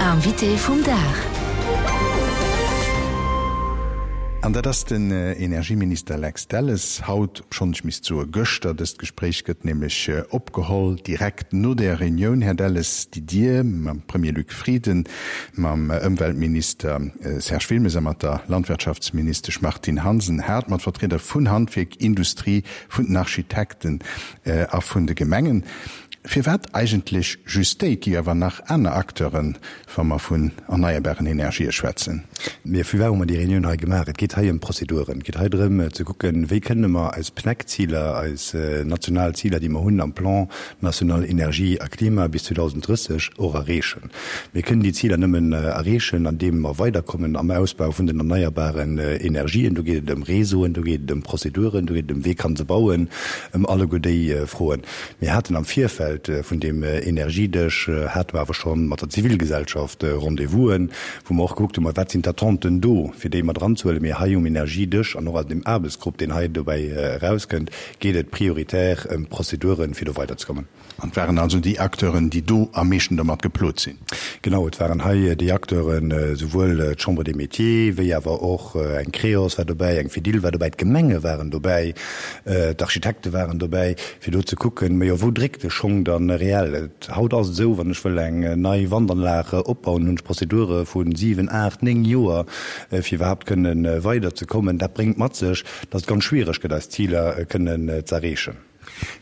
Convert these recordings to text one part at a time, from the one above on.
Invité vum Dag. An dat ass den Energieminister Lex Delles haut, obschonn ech misst soe gëschter. Dëst Gespréich gëtt nämlech opgeholl direkt no där Reunioun, Här Delles, déi Dir mam Premier Luc Frieden, mam Ëmweltminister Serge Wilmes a mat der Landwirtschaftsministesch Martine Hansen hat, mat Vertrieder vun Handwierk, Industrie, vun den Architekten a vun de Gemengen. Firwat eigentlech just déi? Et gi jo awer nach aner Acteuren, wa mer vun erneierbaren Energië schwätzen. Mee firwat hu mer déi Reunioun hei gemaach? Et geet hei ëm Prozeduren. Et geet hei drëm ze kucken, wéi kënne mer eis PNEC-Ziler, eis national Ziler, déi mer hunn am Plan national énergie a climat bis 2030, och erreechen. Mir kënnen déi Ziler nëmmen erreechen, andeem mer weiderkommen am Ausbau vun den erneierbaren Energien. Do geet et ëm Réseauen, do geet et ëm Prozeduren, do geet et ëm wee kann se bauen, ëm alleguer déi Froen. Mir haten am Virfeld vun deem Energiedësch, hate mer awer scho mat der Zivilgesellschaft Rendez-vousen, wou mer och gekuckt hunn, ma wat sinn d'Attenten do, fir déi mat eranzehuelen. Mee hei um Energiedësch an och an deem Aarbechtsgrupp, deen hei dobäi erauskënnt, geet et prioritär ëm d'Prozeduren, fir do weiderzekommen. An et waren also déi Acteuren, déi do am meeschten domat geplot sinn? Genau, et waren hei déi Acteuren, souwuel d'Chambre des Métiers wéi awer och eng Creos war dobäi, eng Fedil war dobäi, d'Gemenge waren dobäi, D'Architekte waren dobäi, fir do ze kucken, majo, wou dréckt de Schong dann reell? Et, haut ass et esou, wann ech wëll eng nei Wandanlag opbauen, hunn ech Prozedure vu 7, 8, 9 Joer, fir iwwerhaapt kënne weiderzekommen. Dat bréngt mat sech, datt et ganz schwiereg gëtt, eis Ziler kënnen z'erreechen.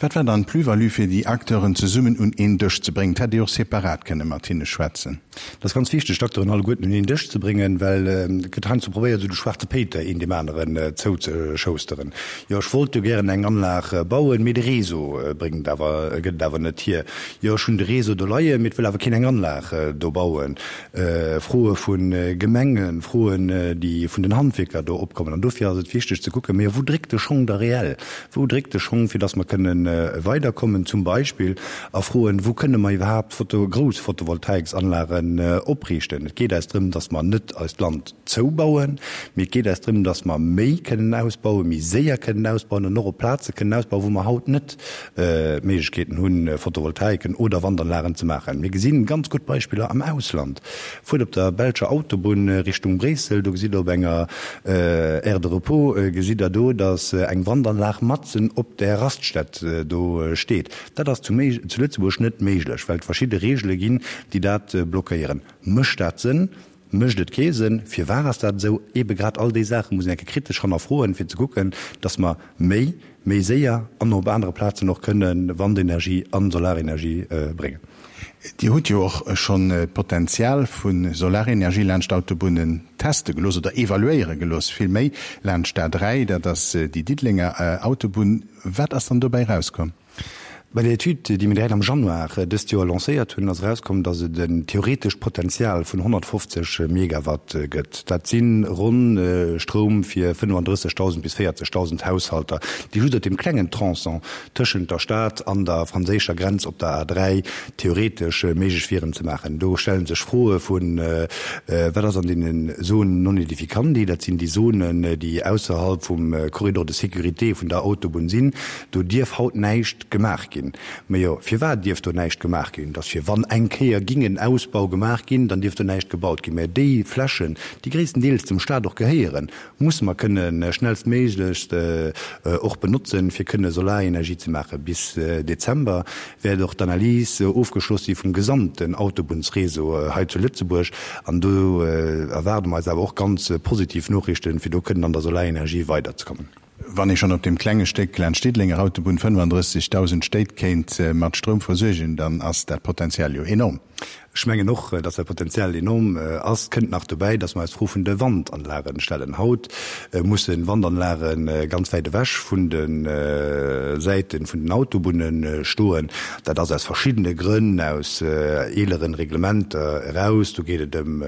Wat war dann d'Plus-value, fir déi Acteuren zesummen un een Dësch ze bréngen? Et hätt ee jo och separat kënne mat hinne schwätzen. Et ass ganz wichteg, d'Acteuren alleguerten un een Dësch ze bréngen, well et gëtt heiansdo probéiert, esou de schwaarze Péiter een deem aneren zouzeschousteren. Jo, ech wollt jo gären eng Anlag bauen, mee de Réseau bréngt et awer, gëtt et awer net hier. Jo, ech hunn de Réseau do leien, mee et wëll awer keen eng Anlag do bauen. Froe vu Gemengen, Froen, déi vun den Handwierker do opkommen. An dofir ass et wichteg ze kucken, mee wou dréckt de Schong da reell? Wou dréckt de Schong, fir dass mer kënnen weiderkommen, zum Beispill a Froen, wou kënne mer iwwerhaapt Photo, grouss Photovoltaiksanlagen opriichten? Et geet eis drëm, dass mer net eist Land zoubauen, mee et geet eis drëm, dass mer méi kënnen ausbauen, méi séier kënnen ausbauen an och op Plaze kënnen ausbauen, wou mer haut net d'Méiglechkeeten hunn, Photovoltaiken oder Wandanlagen ze maachen. Mir gesinn ganz gutt Beispiller am Ausland. Fuert op der belscher Autobunn Richtung Bréissel, do gesitt der op enger Aire de repos gesitt der do, datt eng Wandanlag matzen op der Raststätt do steet. Dat ass zu Lëtzebuerg net méiglech, well et verschidde Reegele ginn, déi dat blockéieren. Mécht dat Sënn? Mécht et kee Sënn? Firwat ass dat esou? Eebe grad all déi Saache muss een eng Kéier kritesch hannerfroen, fir ze kucken, datt mer méi, méi séier an och op anere Plazen och kënne Wandenergie a Solarenergie bréngen. Dir hutt jo och schonn d'Potenzial vu Solarenergie laanscht Autobunnen teste gelooss oder evaluéiere gelooss, vill méi laanscht d'A3, dat ass déi Diddelenger Autobunn. Wat ass dann dobäi erauskomm? Bei der Etüd, déi mir direkt am Januar dëst Joer lancéiert hunn, ass erauskomm, datt et en theoretescht Potenzial vun 150 Megawatt gëtt. Dat si ronn Stroum fir 35.000 bis 40.000 Haushalter, déi just op deem klengen Tronçon tëschent der Stad an der franséischer Grenz op der A3 theoretesch méiglech wieren ze maachen. Do stelle sech Froe vu wat ass an deenen Zones non aedificandi, dat sinn déi Zonen, déi ausserhalb vum Corridor de sécurité vun der Autobunn sinn, do dierf haut näischt gemaach ginn. Mä jo, firwat dierf do näischt gemaach ginn? Dass fir wann eng Kéier ging en Ausbau gemaach ginn, dann dierf do näischt gebaut ginn. Mä déi Flächen, déi gréisstendeels dem Stat och gehéieren, musse mer kënne schnellstméiglechst och benotzen, fir kënne Solarenergie ze maachen. Bis Dezember wäert och d'Analys ofgeschloss si vum gesamten Autobunnsréseau hei zu Lëtzebuerg. An do erwaarde mer eis awer och ganz positiv Noriichten, fir do kënnen an der Solarenergie weiderzekommen. Wann ee schonn op deem klenge Stéck laanscht d'Diddelenger Autobunn 35.000 Stéit kéint mat Stroum versuergen, dann ass dat Potenzial jo enorm. Ech mengen och, dass dat Potenzial enorm ass. Kënnt nach dobäi, dass mer eis d'Fro vun de Wandanlagen stellen. Haut musse Wandanlage ganz wäit ewech vun de Säite vun den Autobunne stoen. Dat ass aus verschiddene Grënn, aus eeleren Reglementer eraus. Do geet et ëm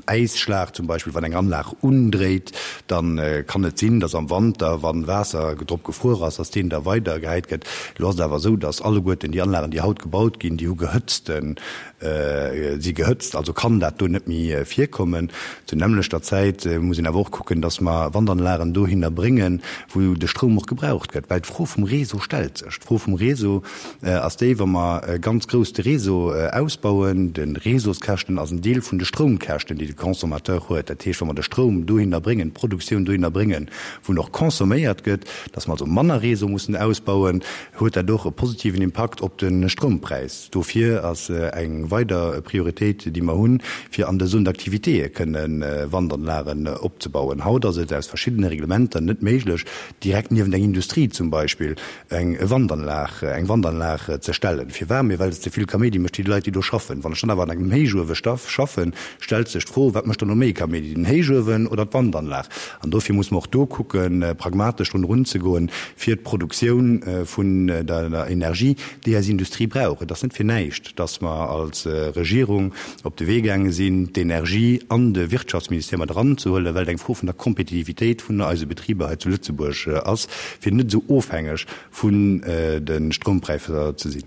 Äisschlag zum Beispill. Wann eng Anlag undréit, da kann et sinn, dass am Wanter, wa Waasser drop gefruer ass, dass deen da weidergehäit gëtt. Elo ass et awer esou, dass alleguerten déi Anlagen, déi haut gebaut ginn, déi hu gehëtzten. Si gehëtzt, also kann dat do net méi virkommen. Zur nämmlechter Zäit muss een awer och kucken, dass mer Wandanlagen dohinner bréngen, wou de Stroum och gebraucht gëtt, well d'Fro vum Réseau stellt sech. D'Fro vum Réseau ass déi, wa mer ganz grouss de Réseau ausbauen, de Réseauskäschten ass en Deel vun de Stroumkäschten, déi de Consommateur huet. Dat heescht, wa mer de Stroum dohinner bréngen, d'Produktioun dohinner bréngen, wou en och consomméiert gëtt, dass mer also manner Réseau mussen ausbauen, huet dat och e positiven Impakt op de Stroumpräis. Dofir ass eng weider Prioritéit, déi mer hunn, fir an de Zones d'activitéë kënne Wandanlagen opzebauen. Haut ass et aus verschiddene Reglementer net méiglech, direkt niewent eng Industrie zum Beispill eng Wandanlag, eng Wandanlag ze stellen. Firwat? Mee well et ze vill Kaméidi mécht fir déi Leit, déi do schaffen. Wann ech dann awer an engem Héichuewe schaffen, stellt sech d'Fro, Wat mécht dann elo méi Kaméidi, den Héichuewen oder d'Wandanlag? An dofir muss mer och do kucken, pragmatesch drun erunzegoen, fir d'Produktioun vun der Energie, déi eis Industrie brauch. Et ass net fir näischt, dass mer als Regierung op de Wee gaange sinn, d'Energie an de Wirtschaftsministère mat eranzehuelen, well et eng Fro vun der Kompetitivitéit vun eise Betriber hei zu Lëtzebuerg ass, fir net esou ofhängeg vun de Stroumpräisser ze sinn.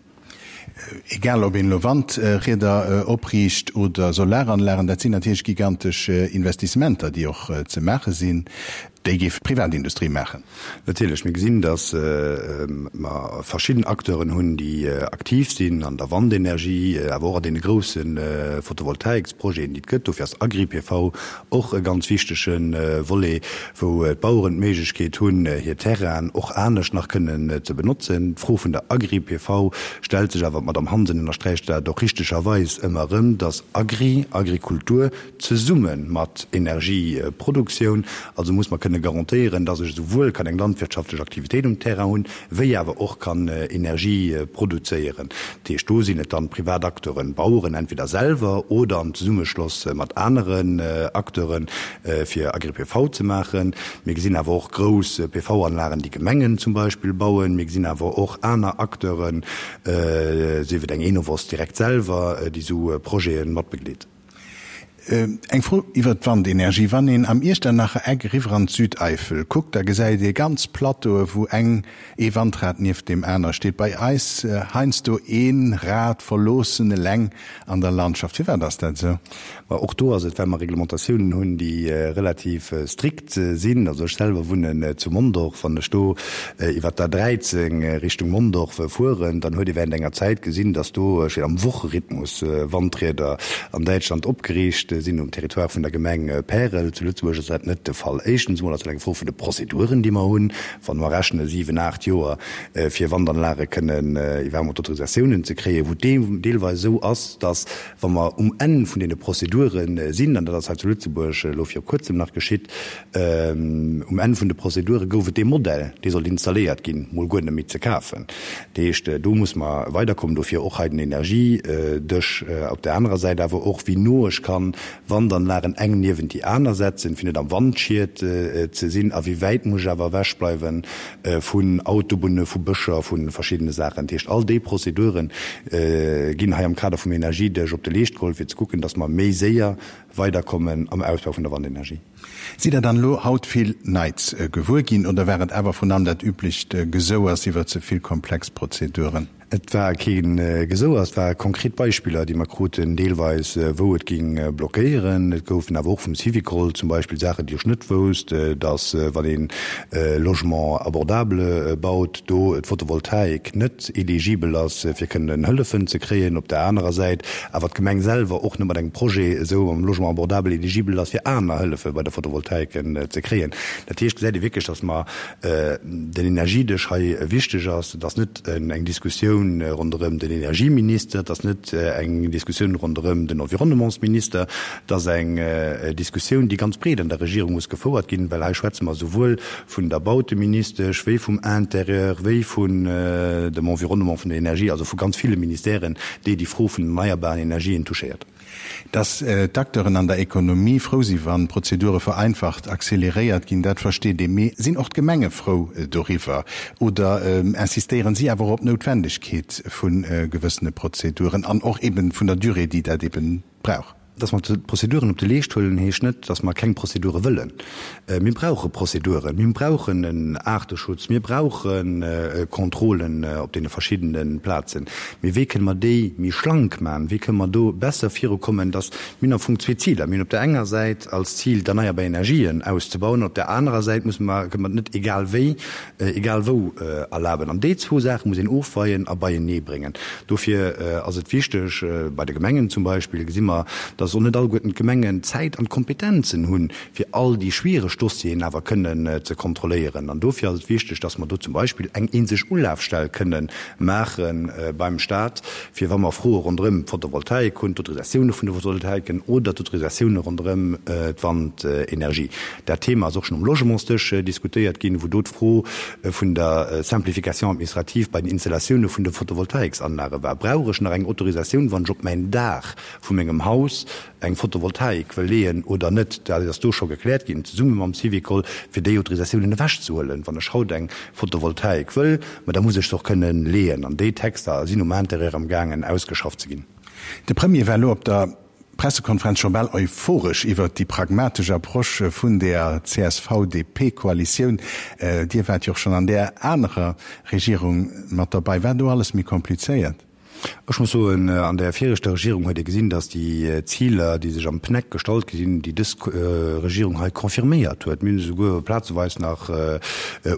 Egal ob een elo Wandrieder opriicht oder Solaranlagen, dat sinn natierlech gigantesch Investissementer, déi och ze maache sinn. Déi géif d'Privatindustrie maachen. Natierlech, mir gesinn, datt mer verschidden Acteuren hunn, déi aktiv sinn an der Wandenergie, awer och an deene grousse Photovoltaiksprojeten, déi et gëtt. Dofir ass Agri-PV och e ganz wichtege Volet, wou d'Baueren d'Méiglechkeet hunn, hir Terrainen och anescht nach kënnen ze benotzen. D'Fro vun der Agri-PV stellt sech awer, d'Madamm Hansen ënnersträicht dat och richtegerweis ëmmer erëm, datt Agri, Agrikultur, zesumme mat Energieproduktioun. Also muss mer kënne garantéieren, dass ech esouwuel kann eng landwirtschaftlech Aktivitéit um Terrain hunn, wéi awer och kann Energie produzéieren. Dat heescht, do sinn et dann privat Acteuren, Baueren entweder selwer oder am Zesummeschloss mat aneren Acteuren, fir Agri-PV ze maachen. Mir gesinn awer och grouss PV-Anlagen, déi Gemengen zum Beispill bauen. Mir gesinn awer och aner Acteuren, sief et eng Enovos direkt selwer, déi esou Projete matbegleet. Eng Fro iwwert d'Wandenergie, Wann een am Iechternacher Eck eriwwer an d'Südeifel kuckt, da gesäit ee ganz Plateaue wou eng ee Wandrad nieft deem aner steet. Bei eis heiansdo ee Rad verloossen eleng an der Landschaft. Firwat ass dat esou? Ma och do ass et, well mer Reglementatiounen hunn, déi relativ strikt sinn. Also ech selwer wunnen zu Mondorf. Wann ech do iwwer d'A 13 Richtung Mondorf fueren, dann huet ee während enger Zäit gesinn, dass do am Wocherhythmus Wandrieder an Däitschland opgeriicht sinn, um Territoire vun der Gemeng Pärel. Zu Lëtzebuerg ass dat net de Fall. Éischtens emol ass dat eng Fro vun de Prozeduren, déi mer hunn. Wa mer rechne siwen, aacht Joer, fir Wandanlage kënnen iwwerhaapt Autorisatiounen ze kréien, wou et deelweis esou ass, dass, wa mer um Enn vun deene Prozedure sinn, an dat ass hei zu Lëtzebuerg elo viru Kuerzem nach geschitt, Um Enn vun de Prozedure gouf et dee Modell, dee sollt installéiert ginn, mol guer net méi ze kafen. Dat heescht, do muss mer weiderkommen. Dofir och hei den Energiedësch. Op där anerer Säit awer och, wéi no ech kann Wandanlagen eng niewent déi aner setzen, fir net am Wandschiet ze sinn, a wéi wäit muss ech awer ewechbleiwe vun Autobunne, vu Bëscher, vu verschiddene Saachen. Dat heescht, all déi Prozedure ginn hei am Kader vum Energiedësch op de Leescht geholl, fir ze kucken, datt mer méi séier weiderkommen am Ausbau vun der Wandenergie. Sidd Der dann elo haut vill Neits gewuer ginn oder war et awer vrun allem dat üblecht Gesouers iwwer ze vill komplex Prozeduren? Et war kee Gesouers, et ware konkret Beispiller, déi mer kruten, deelweis wou et géing blockéieren. Et goufen awer och vum Syvicol zum Beispill Saachen, déi ech net wousst, datt wann ee Logement abordable baut, do d'Photovoltaik net eligibel ass, fir kënnen Hëllefen ze kréien. Op der anerer Säit awer d'Gemeng selwer och net mat engem Projet esou am Logement abordable eligibel ass, fir aner Hëllefe bei der Photovoltaik ze kréien. Dat heescht, gesäit ee wierklech, datt mer den Energiedësch hei wichteg ass. Et ass net eng Diskussioun ronderëm den Energieminister, et ass net eng Diskussioun ronderëm den Environnementsminister, et ass eng Diskussioun, déi ganz breet an der Regierung muss gefouert ginn, well hei schwätze mer souwuel vun der Bauteministesch, wéi vum Intérieur, wéi vun dem Environnement, vun der Energie, also vu ganz ville Ministèren, déi déi Fro vun den erneierbaren Energien touchéiert. Dass d'Acteuren an der Ekonomie frou si wann d'Prozedure vereinfacht, accéléréiert ginn, dat versteet ee. Mee sinn och d'Gemenge frou doriwwer oder insistéieren si awer och op d'Noutwendegkeet vu gewëssene Prozeduren an och eben vun der Durée, déi dat eben brauch? Dass mer d'Prozeduren op de Leescht huelen, heescht net, dass mer keng Prozedure wëllen. Mir brauche Prozeduren, mir brauchen en Aarteschutz, mir brauche Contrôlen op deene verschiddene Plazen. Mee wéi kënne mer déi méi schlank maachen? Wéi kënne mer do besser virukommen, dass, mir hunn am Fong zwee Ziler, Mir hunn op där enger Säit als Zil, d'erneierbar Energien auszebauen, an op där anerer Säit musse mer, kënne mer et net egal wéi egal wou erlaben. An déi zwou Saache muss een ofweien a beienee bréngen. Dofir ass et wichteg, bei de Gemengen zum Beispill gesi mer, dass och net alleguerten d'Gemengen d'Zäit an d'Kompetenzen hunn, fir all déi schwiereg Dossieren awer kënnen ze kontrolléieren. An dofir ass et wichteg, dass mer do zum Beispill eng eenzeg Ulafstell kënnen maache beim Stat, fir wa mer Froe ronderëm d'Photovoltaik hunn, d'Autorisatioune vun de Photovoltaiken oder d'Autorisatioune ronderëm d'Wandenergie. Dat Thema ass och schonn um Logementsdësch diskutéiert ginn, wou do d'Fro vun der Simplification administrative bei den Installatioune vun de Photovoltaiksanlage war. Brauch ech nach eng Autorisatioun, wann ech op mäin Daach vu mengem Haus eng Photovoltaik wëll leeën oder net? Dat ass do scho gekläert ginn, zesumme mam Syvicol, fir déi Autorisatiounen ewechzehuelen. Wann ech haut eng Photovoltaik wëll, ma da muss ech se och kënnen leeën. An déi Texter sinn um Intérieur amgaangen ausgeschafft ze ginn. De Premier war elo op der Pressekonferenz scho bal euphoresch iwwert déi pragmatesch Approche vun der CSV-DP-Koalitioun. Dir waart jo och schonn an där anerer Regierung mat derbei. War do alles méi komplizéiert? Ech muss soen, an där viregter Regierung huet ee gesinn, datt déi Ziler, déi sech am PNEC gestallt gi sinn, déi dës Regierung hei confirméiert huet, mir hunn se souguer plazeweis nach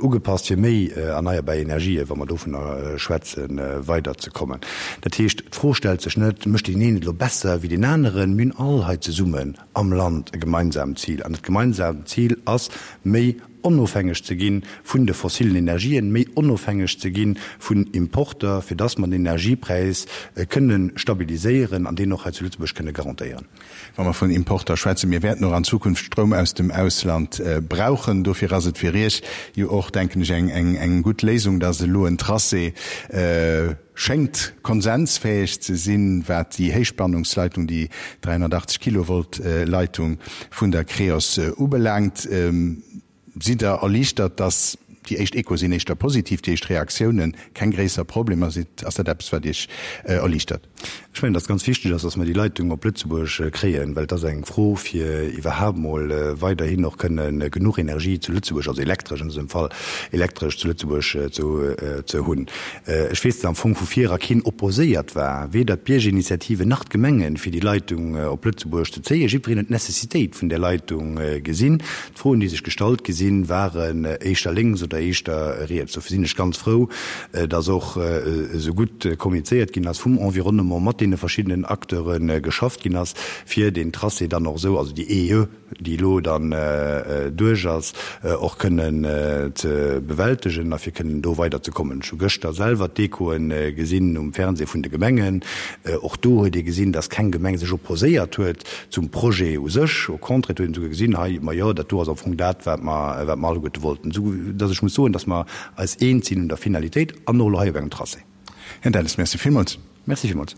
ugepasst, fir méi erneierbar Energien, wa mer dovunner schwätzen, weiderzekommen. Dat heescht, d'Fro stellt sech net, Mécht deen een et elo besser wéi deen aneren? Mir hunn all hei zesummen am Land e gemeinsaamt Zil. An dat gemeinsaamt Zil ass, méi onofhängeg ze gi vun de fossilen Energien, méi onofhängeg ze gi vun Importer, fir dass mer den Energiepräis kënne stabiliséieren an deen och hei zu Lëtzebuerg kënne garantéieren. Wa mer vun Importer schwätzen, mir wäerten och an Zukunft Stroum aus dem Ausland brauchen. Dofir ass et fir Iech jo och, denken ech, eng gutt Léisung, dass elo en Tracé schéngt konsensfäeg ze sinn, wat déi Héichspannungsleitung, déi 380 Kilovolt Leitung vun der Creos ubelaangt. Sidd Der erliichtert, dass déi éischt Echoe sinn éischter positiv, déi éischt Reaktiounen keng gréisser Problemer? Sidd, ass dat eppes, wat Iech erliichtert? Ech mengen, dass ganz wichteg ass, dass mer déi Leitung op Lëtzebuerg kréien, well et ass eng Fro, fir iwwerhaapt mol weiderhin och kënne genuch Energie zu Lëtzebuerg, also elektresch an dësem Fall, elektresch zu Lëtzebuerg ze hunn. Ech weess, dass am Fong vu vir era keen opposéiert war, weder d'Biergerinitiative nach d'Gemengen, fir déi Leitung op Lëtzebuerg ze zéien. Jiddwereen huet d'Necessitéit vun där Leitung gesinn. D'Froen, déi sech gestallt gi sinn, waren éischter lénks oder éischter riets. Dofir sinn ech ganz frou, dass och esou gutt kommunizéiert ginn ass vum Environnement, mat deene verschiddenen Acteure geschafft ginn ass, fir deen Tracé dann och esou, also déi EE, déi elo dann duerch ass, och kënnen ze bewältegen a fir kënnen do weiderzekommen. Ech hu gëschter selwer d'Echoe gesinn um Fernseh vun de Gemengen. Och do huet ee gesinn, dass keng Gemeng sech opposéiert huet zum Projet u sech. Au contraire, et huet een esouguer gesinn, hei, majo, dat do ass am Fong dat, wat mer, wat mer alleguerte wollten. Esou dass ech muss soen, dass mer eis eens sinn un der Finalitéit an och elo hei op engem Tracé. Här Delles, Merci villmools. Merci villmools.